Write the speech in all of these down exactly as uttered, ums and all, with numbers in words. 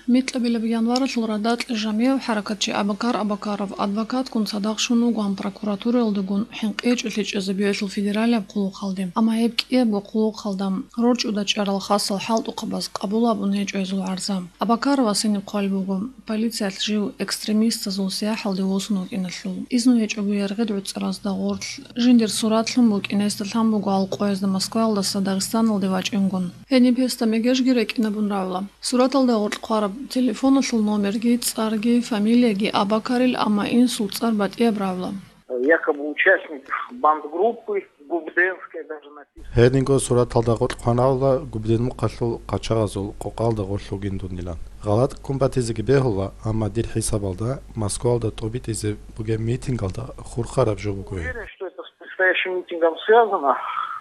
Микьабилеб январалъул радакье жамигӀав хӀаракатчи Абакар Абакаров адвокатгун цадахъ щун вугоан прокуратураялдагун хӀинкъичӀолъи чӀезабиялъул федералияб хъулухъалде, амма гьеб кӀиябго хъулухъалда рорчӀуда чӀарал хасал хӀалтӀухъабаз къабул гьабун гьечӀо гьезул гӀарза. Абакаровас гьениб хъвалеб буго, полициялъ жив экстремистазул сияхӀалде восун вукӀиналъул. Изну гьечӀого яргъид гӀуцӀаразда гъорлъ жиндир сурат лъун букӀин гьесда лъан буго гьал къоязда Москваялдаса Дагъистаналде вачӀингун. Гьениб гьесда мегежги рекӀинабун равла. Сураталда гъоркь хъвараб телефоналъул номерги, цӀарги, фамилияги Абакарил, амма инсул цӀар батӀияб равла. Якобы участник бандгруппы Губденская, даже написано. Гьединго сураталда гъоркь хъван равла Губден мухъалъул къачагъазул къокъалда гъорлъ вугин дунилан. ГъалатӀ ккун батизеги бегьула, амма дир хӀисабалда Москваялда тӀубитӀизе бугеб митингалда хурхараб жо буго гьеб. Уверен, что это с предстоящим митингом связано.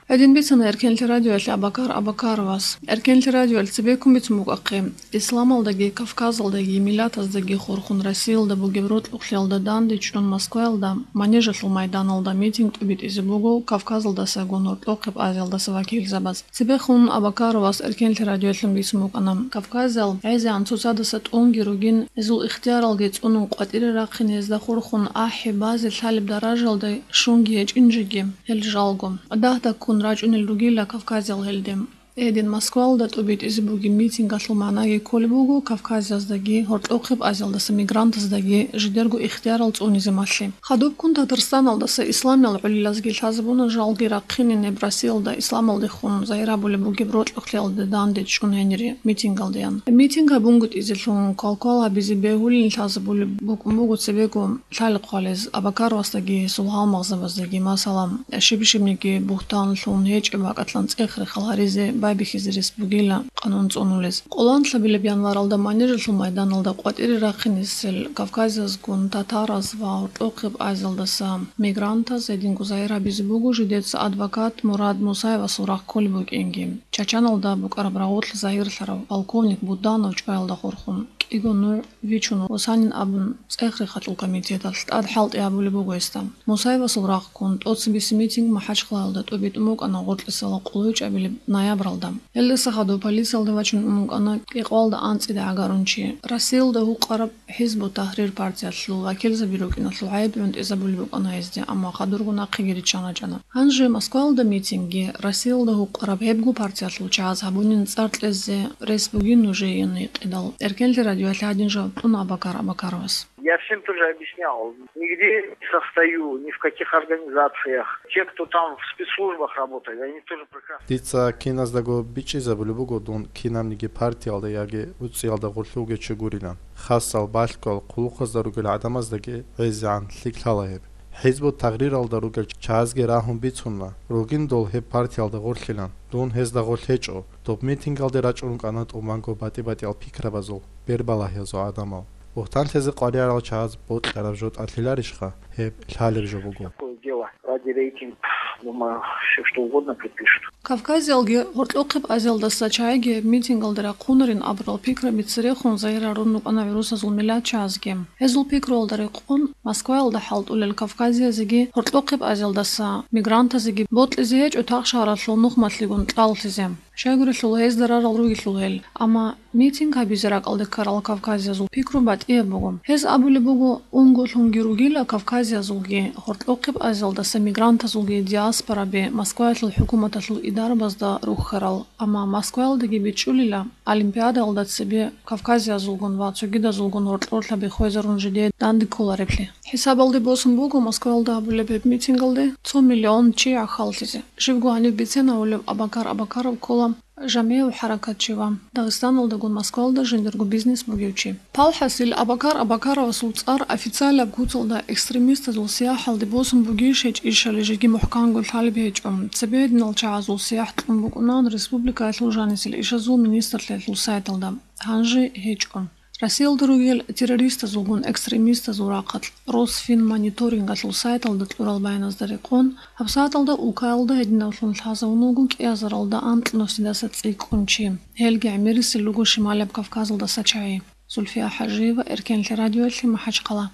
Гьедин бицана Эркенлъи радиоялъе Абакар Абакаровас. Эркенлъи радиоялъ цебеккун бицун букӀахъе, исламалдаги, Кавказалдаги, миллатаздаги хурхун Россиялда бугеб рокьухълъиялда данде чӀун Москваялда, Манежалъул майданалда митинг тӀубитӀизе буго Кавказалдасагун Гьоркьохъеб Азиялдаса вакилзабаз. Цебехун Абакаровас Эркенлъи радиоялъ бицун букӀана, кавказиял гӀезегӀан цоцадаса тӀунги ругин, гьезул ихтияралги цӀунун къватӀире рахъин, гьезда хурхун ахӀи, базе лъалеб даражалда щунги гьечӀин жеги, гьел жалго, дагь-дагьккун рачӀунел ругила кавказиял гьелде. Гьедин Москваялда тӀубитӀизе бугеб митингалъул магӀнаги кколеб буго Кавказияздаги, Гьоркьохъеб Азиялдаса мигрантаздаги жидерго ихтиярал цӀунизе малъи. Хадубккун Татарстаналдаса исламиял гӀолилазги лъазабуна жалги рахъинин гьеб Россиялда исламалдехун загьир гьабулеб бугеб рокьухълъиялда данде чӀун гьенире митингалдеян. Митинг гьабунгутӀизелъун квалквал гьабизе бегьулин лъазабулеб букӀун буго цебего лъалихъ хъвалез Абакаровасдаги гьесул гьалмагъзабаздаги, масала, щиб-щибниги бугьтанлъун гьечӀеб бакӀалъан цӀех-рехал гьаризе байбихьизе рес бугила къанун цӀунулез. Къоланлъабилеб январалда Манежалъул майданалда къватӀире рахъинесел кавказиязгун татараз ва Гьоркьохъеб Азиялдаса мигрантаз гьединго загьир гьабизе буго жидеца адвокат Мурад Мусаевасул рагъ кколеб букӀинги. Чачаналда букӀараб рагъулъ загьирлъарав полковник Буданов чӀваялда хурхун, кӀиго нугӀ вичун вуссанин абун, цӀех-рехалъул комитеталъ тӀад хӀалтӀи гьабулеб буго гьесда. Мусаевасул рагъ ккун, тӀоцебесеб митинг МахӀачхъалаялда тӀубитӀун букӀана гъоркьисала къулайчӀабилеб ноябралда. Гьелдаса хадуб полициялде вачун ун букӀана кӀикъвалда анцӀила гӀагарун чи. Россиялда гьукъараб ХӀизбут-Тахрир партиялъул вакилзаби рукӀиналъул гӀайиб гӀунтӀизабулеб букӀана гьезде, амма хадурго нахъеги риччан рачӀана. Гьанже Москваялда митингги, Россиялда гьукъараб гьебго партиялъул чагӀаз гьабунин цӀар кьезе рес бугин нужее гьикъидал, Эркенлъи радиоялъе гьадин жаваб кьуна Абакар Абакаровас. Я всем тоже объяснял, нигде не состою, ни в каких организациях. Те, кто там в спецслужбах работает, они тоже прекрасно. Дица киназдаго бичӀчӀизабулеб буго дун кинабниги партиялда яги гӀуцӀиялда гъорлъ вугев чи гурилан. Хасал, балъгоял, хъулухъазда ругел гӀадамаздаги гӀезегӀан лъикӀлъала гьеб. ХӀизбут-Тахриралда ругел чагӀазги рагьун бицуна, ругин дол гьеб партиялда гъорлъилан. Дун гьезда гъорлъ гьечӀо. Доб митингалде рачӀун рукӀана тӀубанго батӀи-батӀиял пикрабазул, бербалагьиязул гӀадамал. Бугьтан лъезе къваригӀарал чагӀаз бокьараб жо тӀадлъиларищха гьеб лъалеб жо буго. Такое дело ради рейтинга, думаю, всё что угодно припишут. Кавказиялги Гьоркьохъеб Азиялдаса чагӀиги гьеб митингалде рахъунарин абурал пикраби церехун загьир гьарун рукӀана гӀурусазул миллатчагӀазги. Гьезул пикруялда рекъон, Москваялда хӀалтӀулел кавказиязеги Гьоркьохъеб Азиялдаса мигрантазеги бокьизе гьечӀо тахшагьаралъул нухмалъигун кьаллъизе. Щайгурелъул гьезда рарал ругелъул гьел, амма митинг гьабизе ракӀалде ккарал кавказиязул пикру батӀияб буго. Гьез абулеб буго, унго лъунги ругила кавказиязулги, Гьоркьохъеб Азиялдаса мигрантазулги диаспораби Москваялъул хӀукуматалъул идарабазда рухьарал, амма Москваялдаги бичӀчӀулила олимпиадаялда цебе кавказиязулгун ва цогидазулгун гьоркьорлъаби хвезарун жидее данде кколареблъи. ХӀисабалде босун буго Москваялда гьабулеб гьеб митингалде цо миллион чи гӀахьаллъизе. Живго гьаниб бицен гьавулев Абакар Абакаров ккола жамигӀав хӀаракатчи ва Дагъистаналдагун Москваялда жиндирго бизнес бугев чи. Палхасил Абакар Абакаровасул цӀар официалаб куцалда экстремистазул сияхӀалде босун бугищ гьечӀищали жеги мухӀканго лъалеб гьечӀо. Цебе гьединал чагӀазул сияхӀ кьун букӀунан республикаялъул жанисел ишазул министрлъиялъул сайталда. Гьанже гьечӀо. Россиялда ругел террористазулгун экстремистазул рахъалъ Росфинмониторингалъул сайталда кьурал баяназда рекъон, гьабсагӀаталда Улкаялда гьединавлъун лъазавун вуго кӀиазаралда анкьнусидаса цӀикӀкӀун чи. Гьелги гӀемерисел руго Шималаб Кавказалдаса чагӀи. Зульфия ХӀажиева, Эркенлъи радиоялъе, МахӀачхъала.